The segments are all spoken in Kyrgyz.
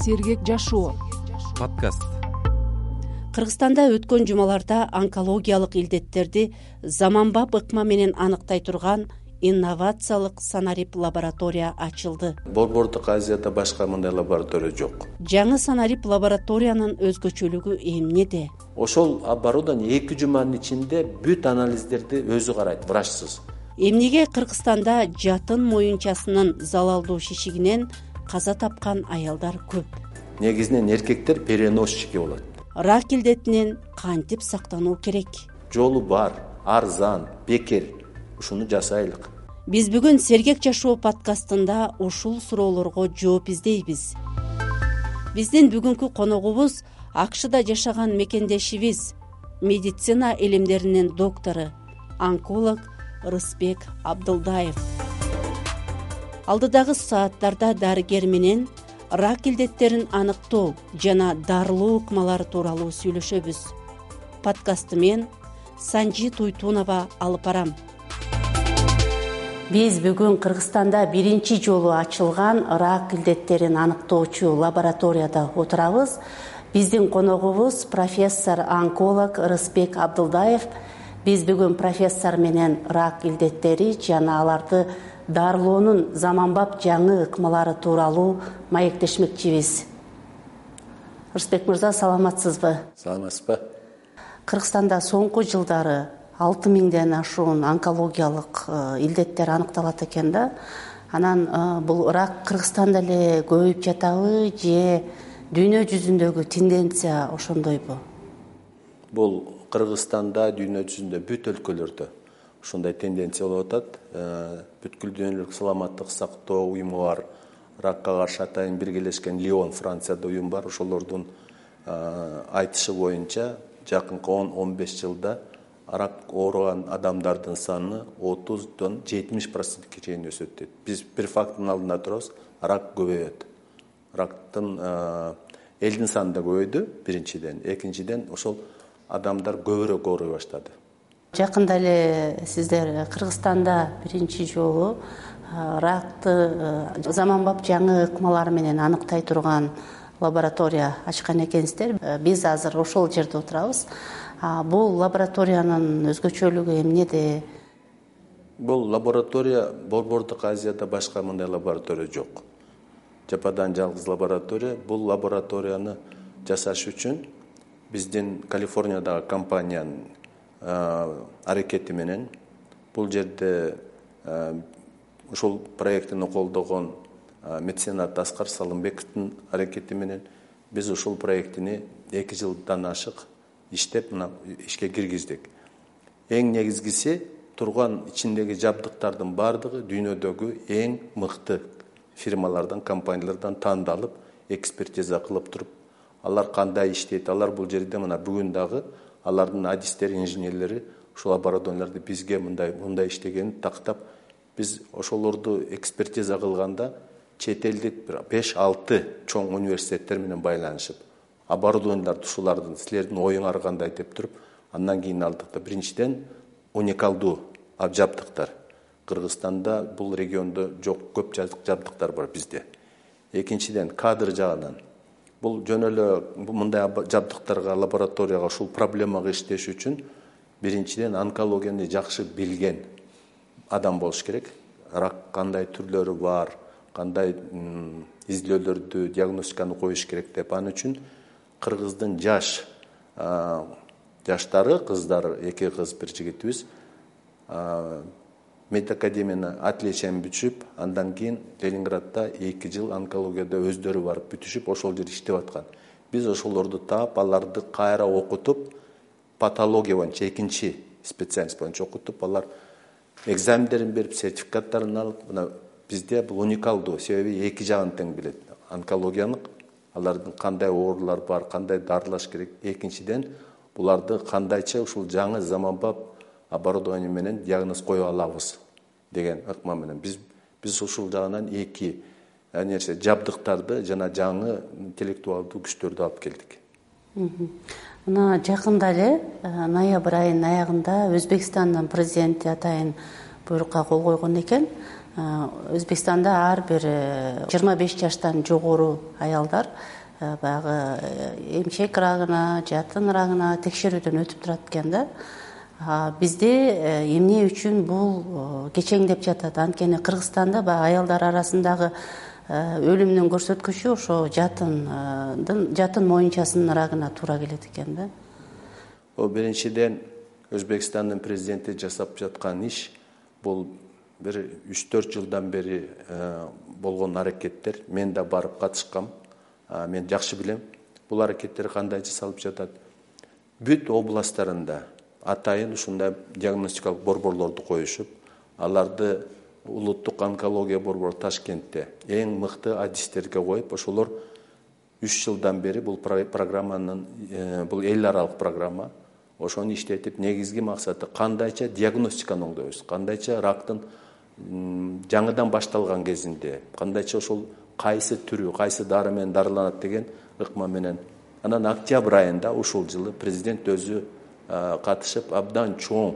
Сергек жашоо подкаст. Кыргызстанда өткөн жумаларда онкологиялык илдеттерди заманбап ыкма менен аныктай турган инновациялык санарип лаборатория ачылды. Борбордук Азияда башка мындай лаборатория жок. Жаңы санарип лабораториянын өзгөчөлүгү эмнеде? Ошол оборудование 2 жуманын ичинде бүт анализдерди өзү карайт, врачсыз. Эмнеге Кыргызстанда жатын моюнчасынын залалдуу шишигинен каза тапкан аялдар көп? Негизинен эркектер переносчики болот. Рак илдетинен кантип сактануу керек? Жолу бар, арзан, бекер. Ушуну жасайлык. Биз бүгүн Сергек жашоо подкастында ушул суроолорго жооп издейбиз. Биздин бүгүнкү коногубуз АКШда жашаган мекендешибиз, медицина илимдеринин доктору, онколог Рысбек Абдылдаев. Алдыдагы сааттарда дарыгер менен рак илдеттерин аныктоо жана дарылоо ыкмалары тууралуу сүйлөшөбүз. Подкастты мен Санжи Туйтунова алып барам. Биз бүгүн Кыргызстанда биринчи жолу ачылган рак илдеттерин аныктоочу лабораторияда отурабыз. Биздин коногубуз профессор-онколог Рысбек Абдылдаев. Биз бүгүн профессор менен рак илдеттери жана аларды дарылоонун заманбап жаңы ыкмалары тууралуу маектешмекчибиз. Рысбек мырза, саламатсызбы? Саламатсызбы? Кыргызстанда соңку жылдары 6000ден ашуун онкологиялык илдеттер аныкталат экен да. Анан бул рак Кыргызстанда эле көбөйүп жатабы же дүйнө жүзүндөгү тенденция ошондойбу? Бул Кыргызстанда, дүйнө жүзүндө бүт өлкөлөрдө ушундай тенденция болуп атат. Бүткүл дүйнөлүк саламаттык сактоо уюму бар. Ракка каршы атайын биргелешкен Лион, Францияда уюм бар. Ошолордун айтышы боюнча жакынкы 10-15 жылда рак ооруган адамдардын саны 30-дан 70%-ке чейин өсөт дейт. Биз бир факттын алдында турабыз, рак көбөйөт. Рактын элдин саны да көбөйдү, биринчиден. Экинчиден, ошол адамдар көбүрөөк ооруй баштады. Жакында эле сиздер Кыргызстанда биринчи жолу ракты заманбап жаңы ыкмалар менен аныктай турган лаборатория ачкан экенсиздер. Биз азыр ошол жерде отурабыз. Бул лабораториянын өзгөчөлүгү эмнеде? Бул лаборатория Борбордук Азияда башка мындай лаборатория жок. Жападан жалгыз лаборатория. Бул лабораторияны жасаш үчүн биздин Калифорниядагы компаниянын аракети менен бул жерде ушул проектини колдогон меценат Аскар Салымбековдун аракети менен биз ушул проектини 2 жылдан ашык иштеп ишке киргиздик. Эң негизгиси турган ичиндеги жабдыктардын баардыгы дүйнөдөгү эң мыкты фирмалардан, компаниялардан тандалып, экспертиза кылып туруп, алар кандай иштейт, алар бул жерде мына бүгүн дагы алардын адистери, инженерлери ушул оборудованияларды бизге мындай иштегенин тактап, биз ошолорду экспертиза кылганда чет элдик 5-6 чоң университеттер менен байланышып, оборудованияларды ушулардын силердин оюңар кандай деп туруп, андан кийин алдык да. Биринчиден уникалдуу жабдыктар. Кыргызстанда бул региондо жок, көп жабдыктар бар бизде. Экинчиден кадр жагынан бул жөн эле мындай жабдыктарга, лабораторияга ушул проблемага иштеш үчүн биринчиден онкологияны жакшы билген адам болуш керек. Рак кандай түрлөрү бар, кандай изилөөлөрдү, диагностиканы коюш керек деп. Аны үчүн Кыргыздын жаштары, кыздар, 2 кыз, 1 жигитибиз медакадемияны отличиен бүтүшүп, андан кийин Ленинградда 2 жыл онкологияда өздөрү барып бүтүшүп, ошол жерде иштеп аткан. Биз ошолорду таап, аларды кайра окутуп, патология боюнча экинчи специалист боюнча окутуп, алар экзамендерин берип, сертификаттарын алып, мына бизде бул уникалдуу, себеби 2 жагын тең билет. Онкологиянын алардын кандай оорулар бар, кандай дарылаш керек. Экинчиден, буларды кандайча ушул жаңы заманбап оборудование менен диагноз кое алабыз деген ыкма менен биз ушул жагынан 2 жабдыктарды жана жаңы интеллектуалдуу күчтөрдү алып келдик. Мына жакында эле ноябрь айынын аягында Өзбекстандын президенти атайын буйрукка кол койгон экен. Өзбекстанда ар бир 25 жаштан жогору аялдар баягы эмчек рагына, жатын рагына текшерүүдөн өтүп турат экен да. Бизде эмне үчүн бул кечеңдеп жатат? Анткени Кыргызстанда баягы аялдар арасындагы өлүмдүн көрсөткүчү ошо жатын моюнчасынын рагына туура келет экен да. Биринчиден Өзбекстандын президенти жасап жаткан иш бул бир 3-4 жылдан бери болгон аракеттер. Мен да барып катышкам. Мен жакшы билем бул аракеттер кандай жасалып жатат. Бүт областтарында атайын ушундай диагностикалык борборлорду коюшуп, аларды улуттук онкология борбору Ташкентте эң мыкты адистерге коюп, ошолор 3 жылдан бери бул программанын бул эл аралык программа. Ошону иштетип, негизги максаты кандайча диагностиканы оңдойбуз, кандайча рактын жаңыдан башталган кезинде, кандайча ошол кайсы түрү, кайсы дары менен дарыланат деген ыкма менен. Анан октябрь айында ушул жылы президент өзү катышып, абдан чоң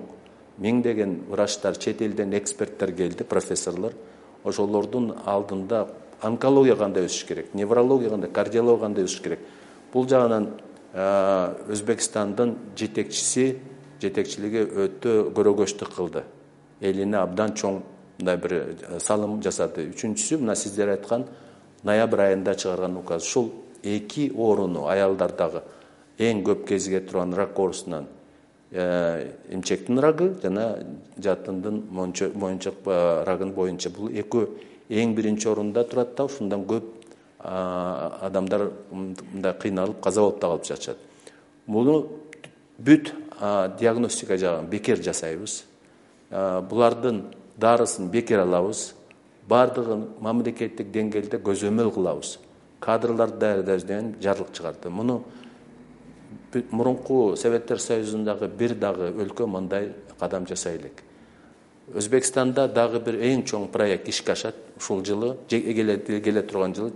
миңдеген врачтар, чет элден эксперттер келди, профессорлор. Ошолордун алдында онкология кандай өсүш керек, неврология кандай, кардиология кандай өсүш керек. Бул жагынан Өзбекстандын жетекчилиги өтө көрөгөчтүк кылды. Элине абдан чоң мындай бир салым жасады. Үчүнчүсү, мына сиздер айткан ноябрь айында чыгарган указ. Ушул 2 оруну аялдардагы эң көп кезиге турган рак оорусунан эмчектин рагы жана жатындын моюнчак рагын боюнча бул экөө эң биринчи орунда турат да, ушундан көп адамдар мындай кыйналып, каза болуп да калып жатышат. Муну бүт диагностика жагын бекер жасайбыз. Булардын дарысын бекер алабыз. Бардыгын мамлекеттик деңгээлде көзөмөл кылабыз. Кадрларды даярдайбыз деген жарлык чыгарды. Муну мурунку Советтер Союзундагы бир дагы өлкө мындай кадам жасай элек. Өзбекстанда дагы бир эң чоң проект ишке ашат. Ушул жылы, келе турган жылы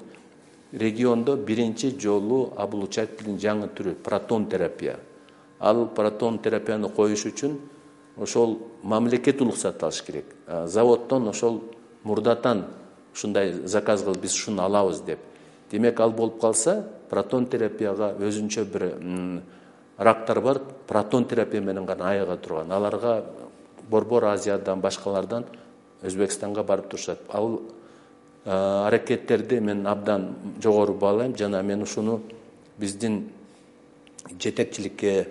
региондо биринчи жолу облучательдин жаңы түрү протон терапия. Ал протон терапияны коюш үчүн ошол мамлекет уруксат алыш керек. Заводдон ошол мурдатан ушундай заказ кылып биз ушуну алабыз деп. Демек, ал болуп калса, протон терапияга өзүнчө бир рактар бар, протон терапия менен гана айыга турган. Аларга Борбор Азиядан, башкалардан Өзбекстанга барып турушат. Ал аракеттерди мен абдан жогору баалайм, жана мен ушуну биздин жетекчиликке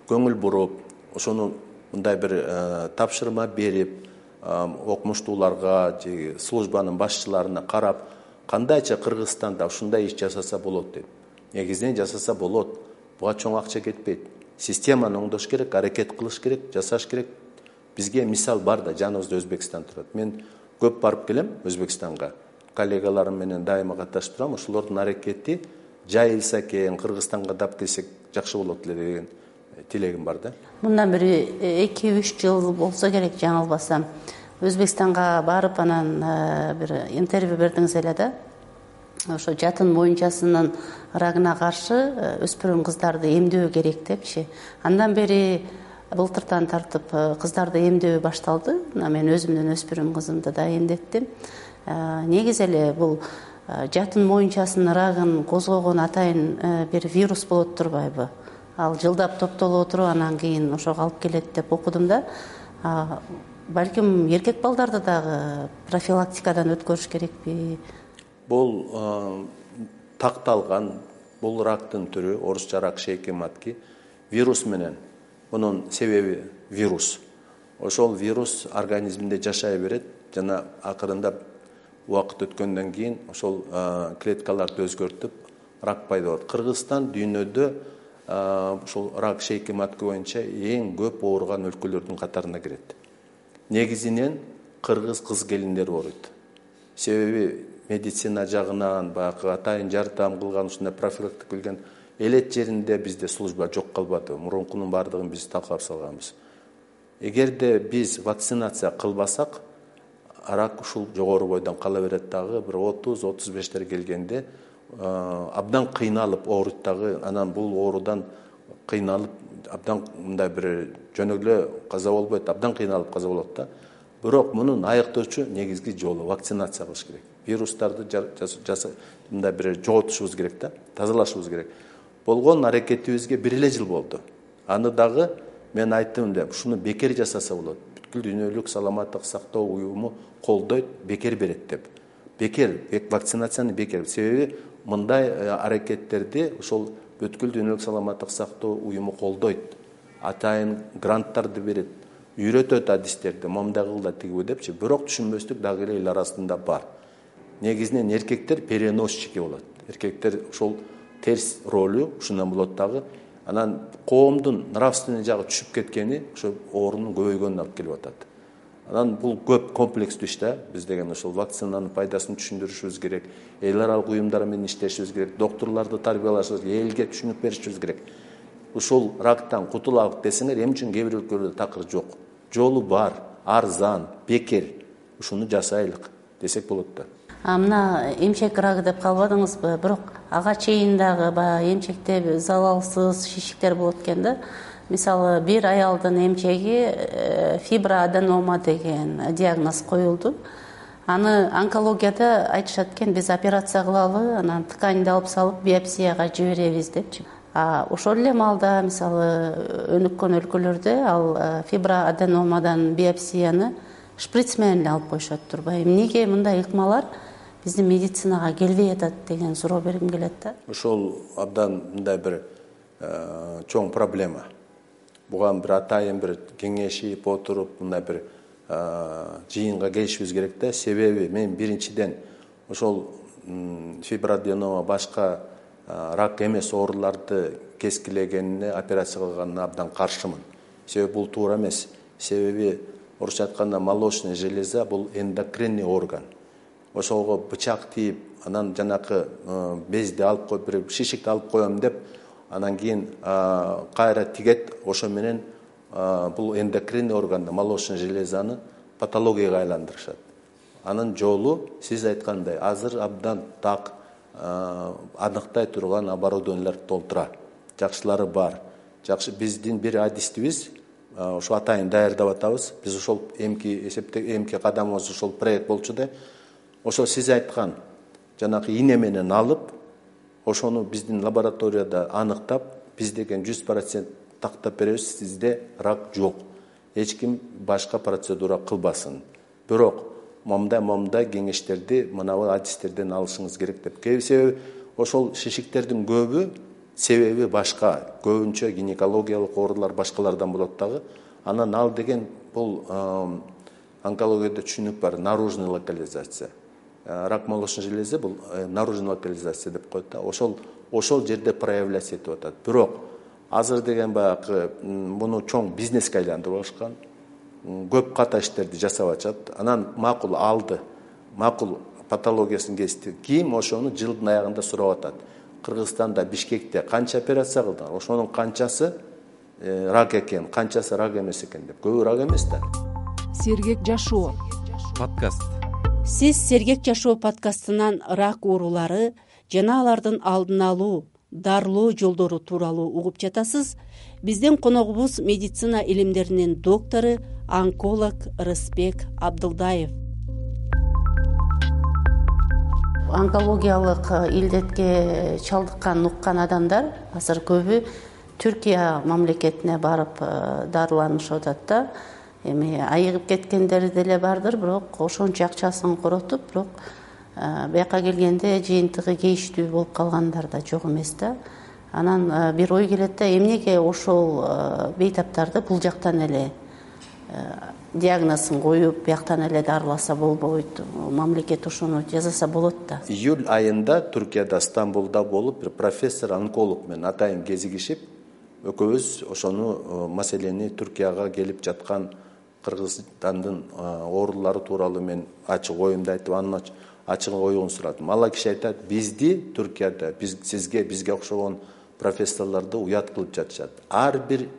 көңүл буруп, ошону мындай бир тапшырма берип, окумуштууларга, службанын башчыларына карап, кандайча Кыргызстанда ушундай иш жасаса болот деп. Негизинен жасаса болот. Буга чоң акча кетпейт. Системаны оңдош керек, аракет кылыш керек, жасаш керек. Бизге мисал бар да, жаныбызда Өзбекстан турат. Мен көп барып келем Өзбекстанга. Коллегаларым менен дайыма катышып турам. Ошолордун аракети жайылса экен, Кыргызстанга дап келсек жакшы болот эле деген тилегим бар да. Мындан бир 2-3 жыл болсо керек, жаңылбасам. Өзбекстанга барып анан бир интервью бердиңиз эле да. Ошо жатын моюнчасынын рагына каршы өспүрүм кыздарды эмдөө керек депчи. Андан бери былтыртан тартып кыздарды эмдөө башталды. Мен өзүмдүн өспүрүм кызымды да эмдеттим. Негизи эле бул жатын моюнчасынын рагын козгогон атайын бир вирус болот турбайбы? Ал жылдап топтолуп отуруп, анан кийин ошого алып келет деп окудум да. Балким эркек балдарды дагы профилактикадан өткөрүш керекпи? Бул такталган, бул рактын түрү, орусча рак шейки матки, вирус менен. Мунун себеби вирус. Ошол вирус организмде жашай берет, жана акырында убакыт өткөндөн кийин ошол клеткаларды өзгөртүп рак пайда болот. Кыргызстан дүйнөдө ошол рак шейки матки боюнча эң көп ооруган өлкөлөрдүн катарына кирет. Негизинен кыргыз кыз келиндер ооруйт. Себеби медицина жагынан баягы атайын жардам кылган, ушундай профилактика билген элет жеринде бизде служба жок калбады. Мурункунун бардыгын биз талкалап салганбыз. Эгерде биз вакцинация кылбасак, рак ушул жогору бойдон кала берет дагы, бир 30-35 келгенде абдан кыйналып ооруйт дагы. Анан бул оорудан кыйналып абдан мындай бир жөнөк эле каза болбойт, абдан кыйналып каза болот да. бирок мунун айыктоочу негизги жолу вакцинация кылыш керек. Вирустарды мындай бир жоготушубуз керек да, тазалашыбыз керек. Болгон аракетибизге 1 эле жыл болду. Аны дагы мен айттым деп, ушуну бекер жасаса болот. Бүткүл дүйнөлүк саламаттык сактоо уюму колдойт, бекер берет деп. Бекер, вакцинацияны бекер. Себеби мындай аракеттерди ошол бүткүл дүйнөлүк саламаттык сактоо уюму колдойт. Атайын гранттарды берет, үйрөтөт адистерди, момундай кыл да тигиби депчи. Бирок түшүнбөстүк дагы эле эл арасында бар. Негизинен эркектер переносчики болот. Эркектер ошол терс ролу ушундан болот дагы. Анан коомдун нравственный жагы түшүп кеткени ошо оорунун көбөйгөнүнө алып келип атат. Анан бул көп комплекстүү иш да. Биз деген ошол вакцинанын пайдасын түшүндүрүшүбүз керек. Эл аралык уюмдар менен иштешибиз керек. Доктурларды тарбиялашыбыз керек, элге түшүнүк беришибиз керек. Ушул рактан кутулалык десеңер, эмне үчүн кээ бир өлкөлөрдө такыр жок. Жолу бар, арзан, бекер. Ушуну жасайлык десек болот да. Мына эмчек рагы деп калбадыңызбы? Бирок ага чейин дагы баягы эмчекте залалсыз шишиктер болот экен да. Мисалы, бир аялдын эмчеги фиброаденома деген диагноз коюлду. Аны онкологияда айтышат экен, биз операция кылалы, анан тканьды алып салып биопсияга жиберебиз депчи. Ошол эле маалда мисалы өнүккөн өлкөлөрдө ал фиброаденомадан биопсияны шприц менен эле алып коюшат турбайбы? Эмнеге мындай ыкмалар биздин медицинага келбей атат деген суроо бергим келет да. Ошол абдан мындай бир чоң проблема. Буга бир атайын бир кеңешип отуруп, мындай бир жыйынга келишибиз керек да. Себеби мен биринчиден ошол фиброаденома башка рак эмес ооруларды кескилегенине операция кылганына абдан каршымын. Себеби бул туура эмес. Себеби орусча айтканда молочная железа бул эндокринный орган. Ошого бычак тийип, анан жанакы безди алып коюп, бир шишикти алып коем деп, анан кийин кайра тигет, ошо менен бул эндокринный органды, молочная железаны патологияга айландырышат. Анын жолу сиз айткандай азыр абдан так аныктай турган оборудованиялар толтура. Жакшылары бар. Жакшы биздин бир адистибиз ошо атайын даярдап атабыз. Биз ошол эмки кадамыбыз ошол проект болчу да. Ошо сиз айткан жанакы ине менен алып, ошону биздин лабораторияда аныктап, биз деген 100% тактап беребиз, сизде рак жок. Эч ким башка процедура кылбасын. Бирок момундай кеңештерди мынабы адистерден алышыңыз керек деп. Себеби ошол шишиктердин көбү себеби башка, көбүнчө гинекологиялык оорулар башкалардан болот дагы. Анан ал деген бул онкологияда түшүнүк бар, наружный локализация. Рак молочной железы бул наружный локализация деп коет да. Ошол жерде проявляться этип атат. Бирок азыр деген баягы муну чоң бизнеске айландырып алышкан. Көп ката иштерди жасап атышат. Анан макул алды. Макул патологиясын кести. Ким ошону жылдын аягында сурап атат. Кыргызстанда, Бишкекте канча операция кылдыңар? Ошонун канчасы рак экен, канчасы рак эмес экен деп. Көбү рак эмес да. Сергек жашоо подкаст. Сиз Сергек жашоо подкастынан рак оорулары жана алардын алдын алуу, дарылоо жолдору тууралуу угуп жатасыз. Биздин коногубуз медицина илимдеринин доктору, онколог Рыспек Абдылдаев. Онкологиялык илдетке чалдыккан уккан адамдар азыр көбү Түркия мамлекетине барып дарыланышып атат да. Эми айыгып кеткендери деле бардыр, бирок ошончо акчасын коротуп, бирок бияка келгенде жыйынтыгы кейиштүү болуп калгандар да жок эмес да. Анан бир ой келет да, эмнеге ошол бейтаптарды бул жактан эле диагнозун коюп, бияктан эле дарыласа болбойт? Мамлекет ошону жасаса болот да. Июль айында Түркияда, Стамбулда болуп, бир профессор онколог менен атайын кезигишип, экөөбүз ошону маселени Түркияга келип жаткан Кыргызстандын оорулары тууралуу мен ачык оюмду айтып, анын ачык оюн сурадым. Ал киши айтат, бизди Түркияда, бизге окшогон профессорлорду уят кылып жатышат. Ар бир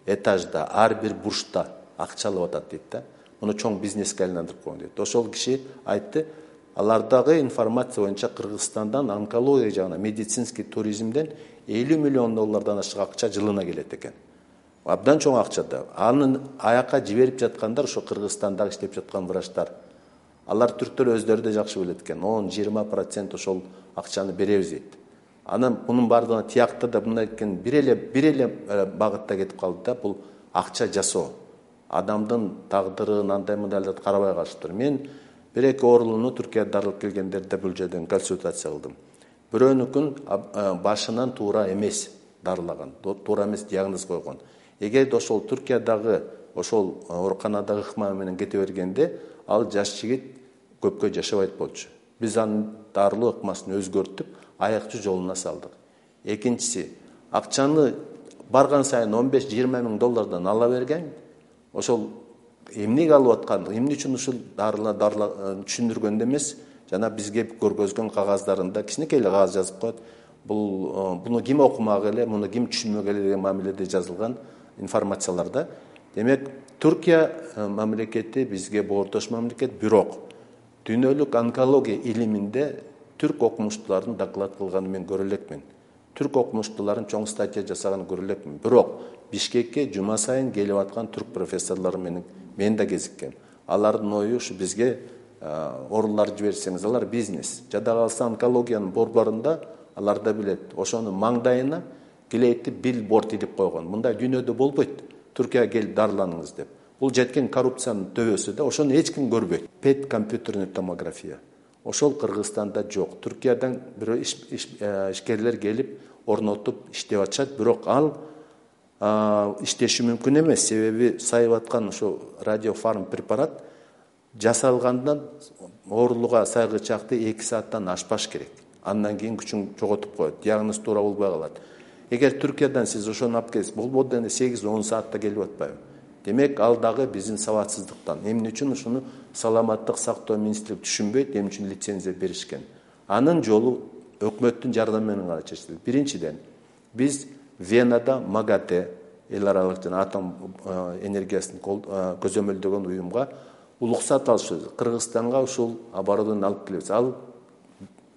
этажда, ар бир бурчта акча алып атат дейт да. Муну чоң бизнеске айландырып койгон дейт. Ошол киши айтты, алардагы информация боюнча Кыргызстандан онкология жагына, медицинский туризмден $50 миллион ашык акча жылына келет экен. абдан чоң акча да. Анын аяка жиберип жаткандар ошо Кыргызстанда иштеп жаткан врачтар. Алар түрктөр өздөрү да жакшы билет экен. 10-20% ошол акчаны беребиз дейт. Анан мунун бардыгына тиякты да мындай экен, бир эле багытта кетип калды да, бул акча жасоо. Адамдын тагдырын андай мындайларды карабай калыштыр. Мен бир-эки оорулууну Түркияда дарылап келгендерде бул жерден консультация кылдым. Бирөөнүкүн башынан туура эмес дарылаган, туура эмес диагноз койгон. Эгерде ошол Түркиядагы ошол ооруканадагы ыкма менен кете бергенде, ал жаш жигит көпкө жашабайт болчу. Биз анын дарылоо ыкмасын өзгөртүп, аякчы жолуна салдык. Экинчиси, акчаны барган сайын 15-20 миң доллардан ала берген, ошол эмнеге алып аткан, эмне үчүн ушул дарылар түшүндүргөндө эмес, жана бизге көргөзгөн кагаздарында кичинекей эле кагаз жазып коет. Буну ким окумак эле, муну ким түшүнмөк эле деген мамиледе жазылган информацияларда. Демек, Түркия мамлекети бизге боордош мамлекет, бирок дүйнөлүк онкология илиминде түрк окумуштуулардын доклад кылганын мен көрө элекмин. Түрк окумуштууларын чоң статья жасаганын көрө элекмин. Бирок Бишкекке жума сайын келип аткан түрк профессорлору менен мен да кезиккем. Алардын ою ушу бизге оорулар жиберсеңиз, алар бизнес. Жада калса онкологиянын борборунда алар да билет. Ошонун маңдайына келейтти билборд илип койгон. Мындай дүйнөдө болбойт. Түркияга келип дарыланыңыз деп. Бул жеткен коррупциянын төбөсү да, ошону эч ким көрбөйт. ПЭТ компьютерный томография. Ошол Кыргызстанда жок. Түркиядан бирөө ишкерлер келип орнотуп иштеп атышат, бирок ал иштеши мүмкүн эмес. Себеби сайып аткан ошо радиофарм препарат жасалгандан оорулууга сайгычакты 2 сааттан ашпаш керек. Андан кийин күчүн жоготуп коет. Диагноз туура болбой калат. Эгер Түркиядан сиз ошону алып келиңиз, болбоду эми 8-10 саатта келип атпайбы? Демек, ал дагы биздин сабатсыздыктан. Эмне үчүн ушуну саламаттык сактоо министрлиги түшүнбөйт, эмне үчүн лицензия беришкен? Анын жолу өкмөттүн жардамы менен гана чечилет. Биринчиден, биз Венада МАГАТЭ, эл аралык жана атом энергиясын көзөмөлдөгөн уюмга уруксат алышыбыз. Кыргызстанга ушул оборудование алып келебиз. Ал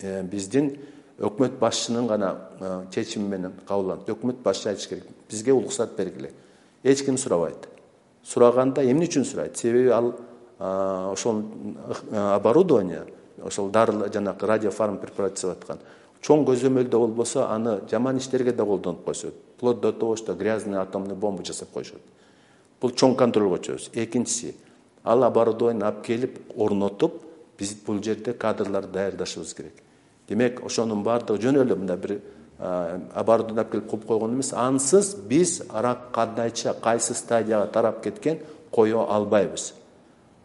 биздин өкмөт башчынын гана чечими менен кабылданат. Өкмөт башчы айтыш керек. Бизге уруксат бергиле. Эч ким сурабайт. Сураганда эмне үчүн сурайт? Себеби ал ошол оборудование, ошол дарылар жанагы радиофарм препарат жасап аткан. Чоң көзөмөлдө болбосо, аны жаман иштерге да колдонуп койсот. Вплоть до того, что грязный атомный бомба жасап койшот. Бул чоң контролго чыгабыз. Экинчиси, ал оборудование алып келип орнотуп, биз бул жерде кадрларды даярдашыбыз керек. Демек, ошонун бардыгы жөн эле мындай бир оборудование алып келип коюп койгон эмес. Ансыз биз рак кандайча, кайсы стадияга тарап кеткен кое албайбыз.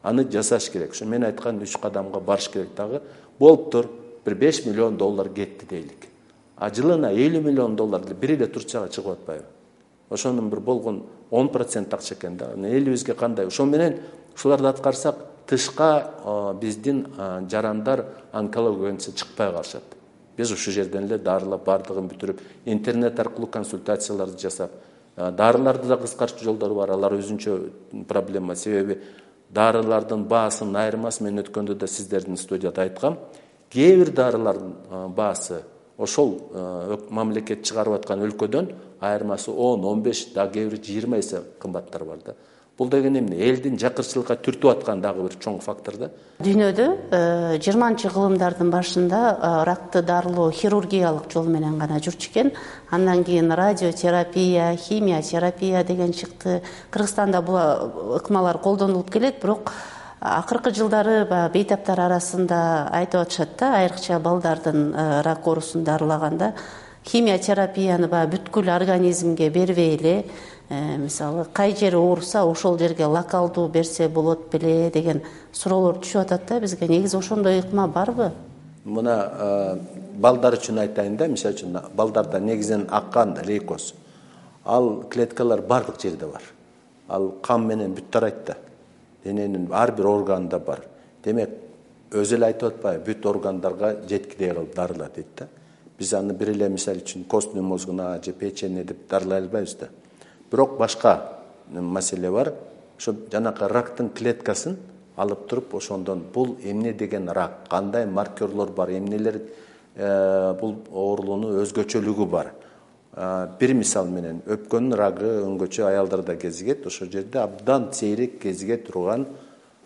Аны жасаш керек. Ошо мен айткан 3 кадамга барыш керек дагы. Болуптур, бир 5 миллион доллар кетти дейлик. Жылына 50 миллион доллар бир эле Турцияга чыгып атпайбы? Ошонун бир болгон 10% акча экен да. Элибизге кандай? Ошо менен ушуларды аткарсак, тышка биздин жарандар онкологиясы чыкпай калышат. Биз ушул жерден эле дарылап бардыгын бүтүрүп, интернет аркылуу консультацияларды жасап, дарыларды да кыскартуу жолдору бар. Алар өзүнчө проблема. Себеби дарылардын баасынын айырмасы, мен өткөндө да сиздердин студияда айткам, кээ бир дарылардын баасы ошол мамлекет чыгарып аткан өлкөдөн айырмасы 10-15, да кээ бир 20 эсе кымбаттар бар да. Бул деген эмне? Элдин жакырчылыкка түртүп аткан дагы бир чоң фактор да. Дүйнөдө 20-кылымдардын башында ракты дарылоо хирургиялык жол менен гана жүрчү экен. Андан кийин радиотерапия, химия-терапия деген чыкты. Кыргызстанда бул ыкмалар колдонулуп келет, бирок акыркы жылдары бейтаптар арасында айтып атышат да, айрыкча балдардын рак оорусун дарылаганда химия-терапияны бүткүл организмге бербей эле, мисалы кай жери ооруса ошол жерге локалдуу берсе болот беле деген суроолор түшүп атат да бизге. Негизи ошондой ыкма барбы? Мына балдар үчүн айтайын да, мисалы үчүн балдарда негизинен аккан лейкоз. Ал клеткалар бардык жерде бар. Ал кан менен бүт тарайт да. Дененин ар бир органында бар. Демек, өзү эле айтып атпайбы, бүт органдарга жеткидей кылып дарылар дейт да. Биз аны бир эле мисалы үчүн костный мозгуна же печени деп дарылай албайбыз да. Бирок башка маселе бар. Ошо жанакы рактын клеткасын алып туруп, ошондон бул эмне деген рак, кандай маркерлор бар, эмнелер бул оорулуунун өзгөчөлүгү бар. бир мисал менен өпкөнүн рагы өңгөчө аялдарда кезигет. Ошол жерде абдан сейрек кезиге турган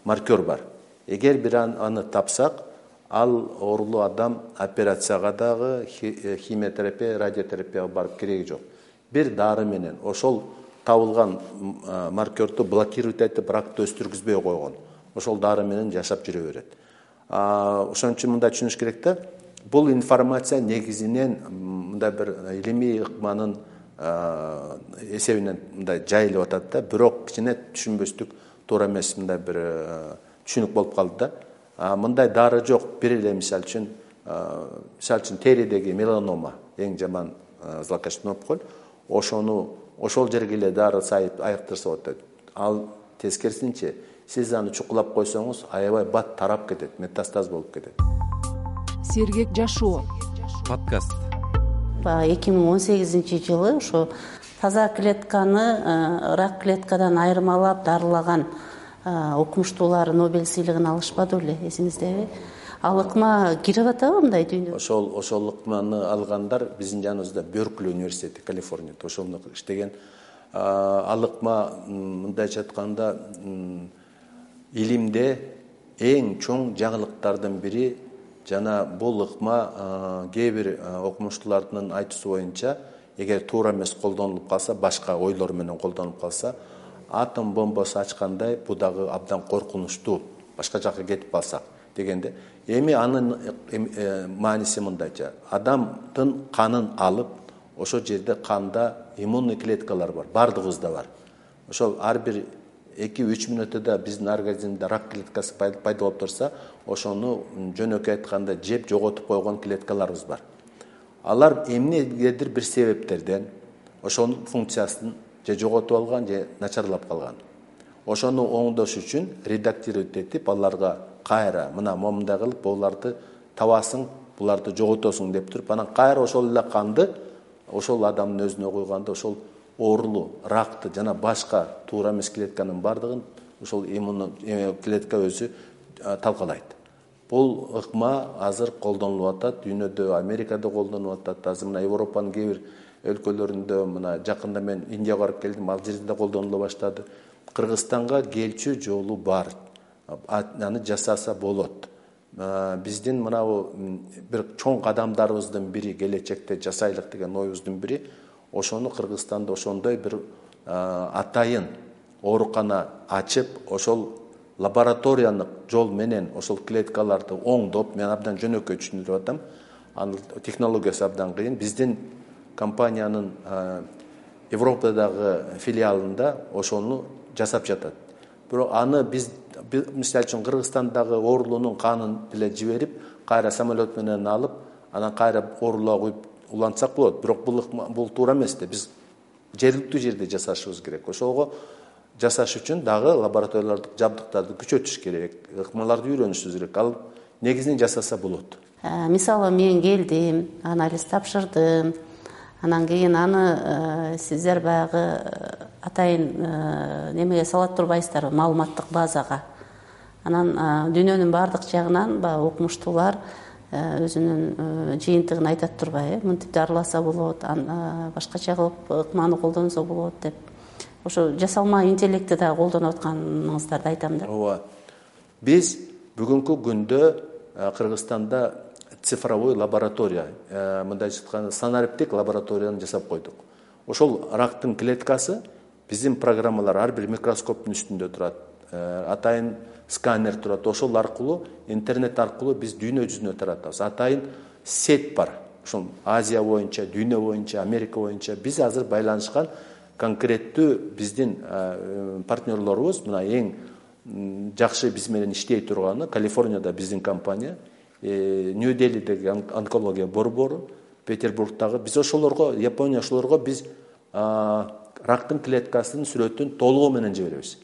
маркер бар. Эгер бир аны тапсак, ал оорулуу адам операцияга дагы, химиотерапия, радиотерапияга барып кереги жок. Бир дары менен ошол табылган маркерду блокировать этип, ракты өстүргүзбөй койгон. Ошол дары менен жашап жүрө берет. Ошон үчүн мындай түшүнүш керек да, бул информация негизинен мындай бир илимий ыкманын эсебинен мындай жайылып атат да, бирок кичине түшүнбөстүк, туура эмес мындай бир түшүнүк болуп калды да. Мындай дары жок. Бир эле мисал үчүн теридеги меланома, эң жаман злокачественный опухоль, ошол жерге эле дары сайып айыктырса болот. Ал тескерисинче, сиз аны чукулап койсоңуз, аябай бат тарап кетет, метастаз болуп кетет. Сергек жашоо подкаст. 2018-жылы ошо таза клетканы рак клеткадан айырмалап дарылаган окумуштуулар Нобель сыйлыгын алышпады беле, эсиңиздеби? Ал ыкма кирип атабы мындай дүйнөгө? Ошол ыкманы алгандар биздин жаныбызда Беркли университети, Калифорнияда ошондо иштеген. Ал ыкма мындайча айтканда илимде эң чоң жаңылыктардын бири. Жана бул ыкма кээ бир окумуштуулардын айтуусу боюнча, эгер туура эмес колдонулуп калса, башка ойлор менен колдонулуп калса, атом бомбасы ачкандай бул дагы абдан коркунучтуу, башка жакка кетип калсак дегенде. Эми анын мааниси мындайча: адамдын канын алып, ошол жерде канда иммунный клеткалар бар, бардыгыбызда бар. Ошол ар бир 2-3 мүнөттө биздин организмде рак клеткасы пайда болуп турса, ошону жөнөкөй айтканда жеп жоготуп койгон клеткаларыбыз бар. Алар эмнегедир бир себептерден ошонун функциясын же жоготуп алган, же начарлап калган. Ошону оңдош үчүн редактировать этип, аларга кайра мына момундай кылып буларды табасың, буларды жоготосуң деп туруп, анан кайра ошол эле канды ошол адамдын өзүнө койгондо ошол оорулуу ракты жана башка туура эмес клетканын бардыгын ошол иммундуу клетка өзү талкалайт. Бул ыкма азыр колдонулуп атат, дүйнөдө, Америкада колдонулуп атат, азыр мына Европанын кээ бир өлкөлөрүндө, мына жакында мен Индияга барып келдим, ал жерде колдонула баштады. Кыргызстанга келчү жолу бар. Аны жасаса болот. Биздин мынабу бир чоң кадамдарыбыздын бири, келечекте жасайлык деген оюбуздун бири, ошону Кыргызстанда ошондой бир атайын оорукана ачып, ошол лабораторияны жол менен ошол клеткаларды оңдоп, мен абдан жөнөкөй түшүндүрүп атам. Анын технологиясы абдан кыйын. Биздин компаниянын Европадагы филиалында ошону жасап жатат. Бирок аны биз мисалы үчүн Кыргызстандагы оорулуунун канын эле жиберип, кайра самолет менен алып, анан кайра оорулууга куюп улантсак болот. Бирок бул туура эмес да. Биз жергиликтүү жерде жасашыбыз керек. Ошого жасаш үчүн дагы лабораториялардык жабдыктарды күчөтүш керек, ыкмаларды үйрөнүшүбүз керек. Ал негизинен жасаса болот. Мисалы мен келдим, анализ тапшырдым. Анан кийин аны сиздер баягы атайын немеге салат турбайсыздарбы, маалыматтык базага. Анан дүйнөнүн бардык жагынан баягы окумуштуулар өзүнүн жыйынтыгын айтат турбайбы, мынтип дарыласа болот, башкача кылып ыкманы колдонсо болот деп. Ошо жасалма интеллектти да колдонуп атканыңыздарды айтам да. Ооба. Биз бүгүнкү күндө Кыргызстанда цифровой лаборатория, мындайча айтканда санариптик лабораторияны жасап койдук. Ошол рактын клеткасы биздин программалар ар бир микроскоптун үстүндө турат. Атайын сканер турат. Ошол аркылуу, интернет аркылуу биз дүйнө жүзүнө таратабыз. Атайын сет бар. Ошол Азия боюнча, дүйнө боюнча, Америка боюнча биз азыр байланышкан конкреттүү биздин партнерлорубуз. Мына эң жакшы биз менен иштей турганы Калифорнияда биздин компания, Нью-Делидеги онкология борбору, Петербургдагы. Биз ошолорго, Япония ошолорго биз рактын клеткасынын сүрөтүн толугу менен жиберебиз.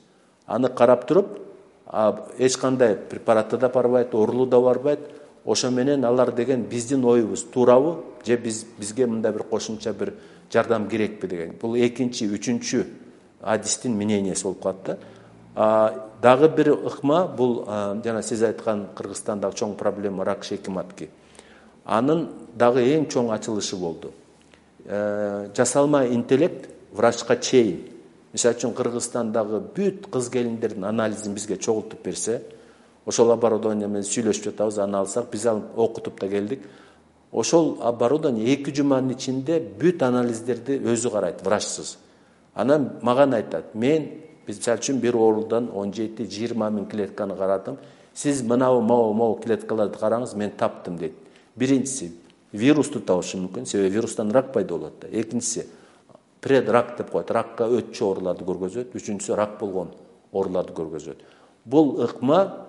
Аны карап туруп, эч кандай препараты да барбайт, оорулуу да барбайт. Ошо менен алар деген биздин оюбуз туурабы, же бизге мындай бир кошумча бир жардам керекпи деген. Бул экинчи, үчүнчү адистин мнениясы болуп калат да. Дагы бир ыкма, бул жана сиз айткан Кыргызстандагы чоң проблема рак шейки матки. Анын дагы эң чоң ачылышы болду. жасалма интеллект врачка чейин, мисалы үчүн Кыргызстандагы бүт кыз келиндердин анализин бизге чогултуп берсе, ошол оборудование менен сүйлөшүп жатабыз, аны алсак, биз алып окутуп да келдик. Ошол оборудование 2 жуманын ичинде бүт анализдерди өзү карайт, врачсыз. Анан мага айтат, мен мисалы үчүн бир оорудан 17-20 миң клетканы карадым. Сиз могу клеткаларды караңыз, мен таптым дейт. Биринчиси вирус табышы мүмкүн, себеби вирустан рак пайда болот да. Экинчиси предрак деп коет, ракка өтчү ооруларды көргөзөт. Үчүнчүсү рак болгон ооруларды көргөзөт. Бул ыкма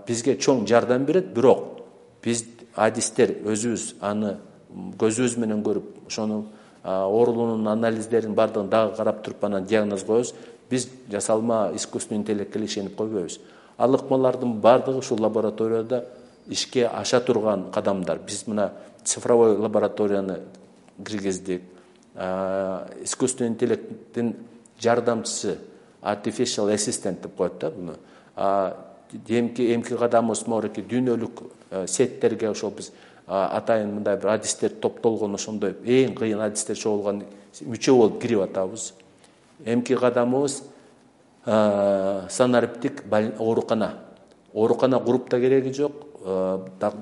бизге чоң жардам берет, бирок биз адистер өзүбүз аны көзүбүз менен көрүп, ошону оорулуунун анализдерин бардыгын дагы карап туруп анан диагноз коебуз. Биз жасалма искусственный интеллектке ишенип койбойбуз. Ал ыкмалардын бардыгы ушул лабораторияда ишке аша турган кадамдар. Биз мына цифровой лабораторияны киргиздик. Искусственный интеллекттин жардамчысы, artificial assistant деп коет да буну. Эмки кадамыбыз морки дүйнөлүк сеттерге ошол биз атайын мындай бир адистер топтолгон, ошондой эң кыйын адистер чогулган мүчө болуп кирип атабыз. Эмки кадамыбыз санариптик оорукана куруп да кереги жок.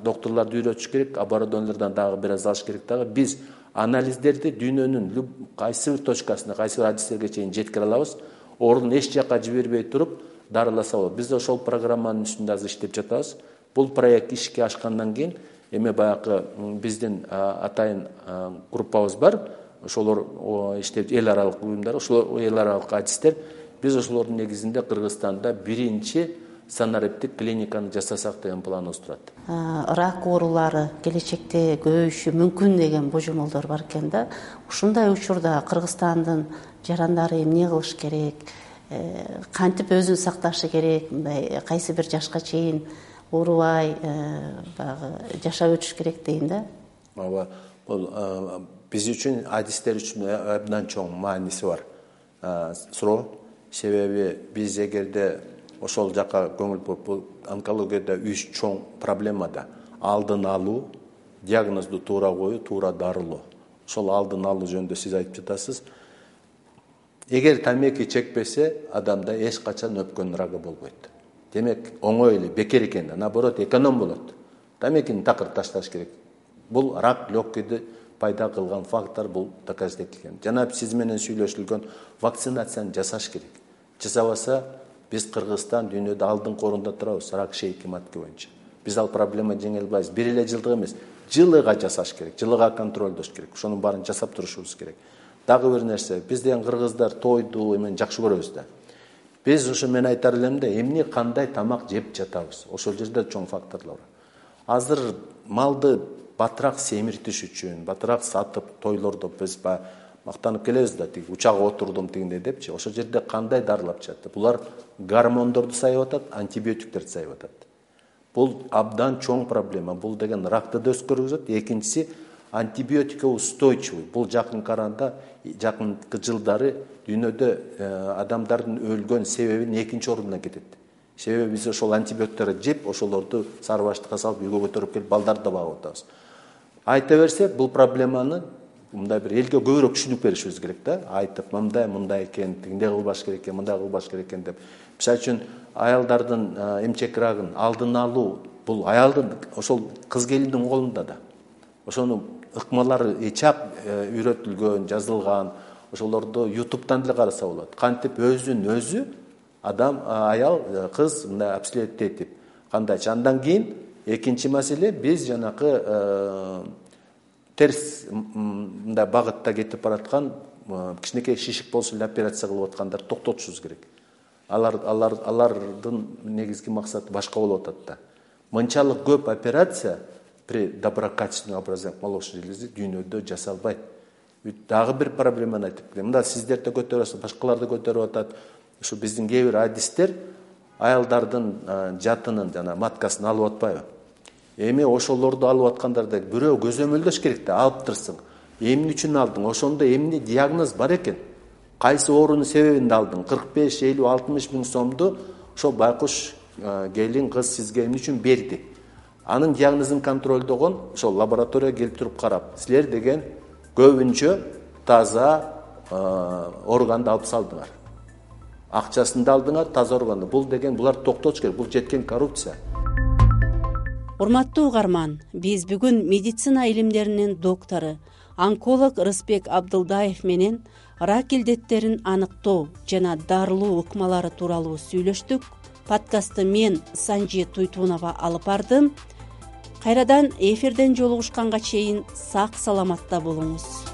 Докторлорду үйрөтүш керек, оборудованиялардан дагы бир аз алыш керек дагы. Биз анализдерди дүйнөнүн кайсы бир точкасына, кайсы бир адистерге чейин жеткире алабыз. Оорууну эч жакка жибербей туруп дарыласа болот. Биз ошол программанын үстүндө азыр иштеп жатабыз. Бул проект ишке ашкандан кийин эми баягы биздин атайын группабыз бар. Ошолор иштеп эл аралык уюмдар, ошол эл аралык адистер. Биз ошолордун негизинде Кыргызстанда биринчи санариптик клиниканы жасасак деген планыбыз турат. Рак оорулары келечекте көбөйүшү мүмкүн деген божомолдор бар экен да. Ушундай учурда Кыргызстандын жарандары эмне кылыш керек? Кантип өзүн сакташы керек? Мындай кайсы бир жашка чейин оорубай жашап өтүш керек дейин да. Ооба, бул биз үчүн, адистер үчүн абдан чоң мааниси бар суроо. Себеби биз эгерде ошол жака көңүл буруп, бул онкологияда 3 чоң проблема да. Алдын алуу, диагнозду туура коюу, туура дарылоо. Ошол алдын алуу жөнүндө сиз айтып жатасыз. Эгер тамеки чекпесе, адамда эч качан өпкөн рагы болбойт. Демек, оңой эле бекер экен, наоборот эконом болот. Тамекини такыр ташташ керек. Бул рак легкийди пайда кылган фактор, бул доказать этилген. Жана сиз менен сүйлөшүлгөн вакцинацияны жасаш керек. Жасабаса, биз Кыргызстан дүйнөдө алдыңкы орунда турабыз рак шейки матки боюнча. Биз ал проблема жеңе албайбыз. Бир эле жылдык эмес, жылыга жасаш керек, жылыга контролдош керек. Ошонун баарын жасап турушубуз керек. Дагы бир нерсе, биз деген кыргыздар тойду эмен жакшы көрөбүз да. Биз ошо мен айтар элем да, эмне кандай тамак жеп жатабыз. Ошол жерде чоң факторлор бар. Азыр малды батыраак семиртиш үчүн, батыраак сатып тойлордо биз мактанып келебиз да, тиги учакка отурдум тигиндей депчи. Ошол жерде кандай дарылап жатты? Булар гормондорду сайып атат, антибиотиктерди сайып атат. Бул абдан чоң проблема. Бул деген ракты да өскөргүзөт. Экинчиси, антибиотикке устойчивый. Бул жакынкы арада, жакынкы жылдары дүйнөдө адамдардын өлгөн себебинин экинчи ордуна кетет. Себеби биз ошол антибиотиктерди жеп, ошолорду сары баштыкка салып үйгө көтөрүп келип балдарды да багып атабыз. Айта берсе, бул проблеманы мындай бир элге көбүрөөк түшүнүп беришибиз керек да. Айтып, мындай экен, тигиндей кылбаш керек экен, мындай кылбаш керек экен деп. Мисалы үчүн аялдардын эмчек рагын алдын алуу, бул аялдын ошол кыз келиндин колунда да. Ошону ыкмалары чак үйрөтүлгөн, жазылган. Ошолорду YouTube'дан деле караса болот. Кантип өзүн өзү адам, аял, кыз мындай обследовать этип, кандайчы. Андан кийин экинчи маселе, биз жанакы терс мындай багытта кетип бараткан кичинекей шишик болсо эле операция кылып аткандарды токтотушубуз керек. Алардын негизги максаты башка болуп атат да. Мынчалык көп операция при доброкачественном образовании молочной железы дүйнөдө жасалбайт. Дагы бир проблеманы айтып келем. Мында сиздер да көтөрүп атасыз, башкалар да көтөрүп атат. Ушу биздин кээ бир адистер аялдардын жатынын жана маткасын алып атпайбы? Эми ошолорду алып аткандарда бирөө көзөмөлдөш керек да, алып турсаң. Эмне үчүн алдың? Ошондо эмне диагноз бар экен? Кайсы оорунун себебинде алдың? 45, 50, 60 миң сомду ошол байкуш келин кыз сизге эмне үчүн берди? Анын диагнозун контролдогон ошол лабораторияга келип туруп карап, силер деген көбүнчө таза органды алып салдыңар, акчасын да алдыңар, таза органды. Бул деген булар токтотуш керек. Бул жеткен коррупция. Урматтуу угарман, биз бүгүн медицина илимдеринин доктору, онколог Рыспек Абдылдаев менен рак илдеттерин аныктоо жана дарылоо ыкмалары тууралуу сүйлөштүк. Подкастты мен Санжи Туйтунова алып бардым. Кайрадан эфирден жолугушканга чейин сак саламатта болуңуз.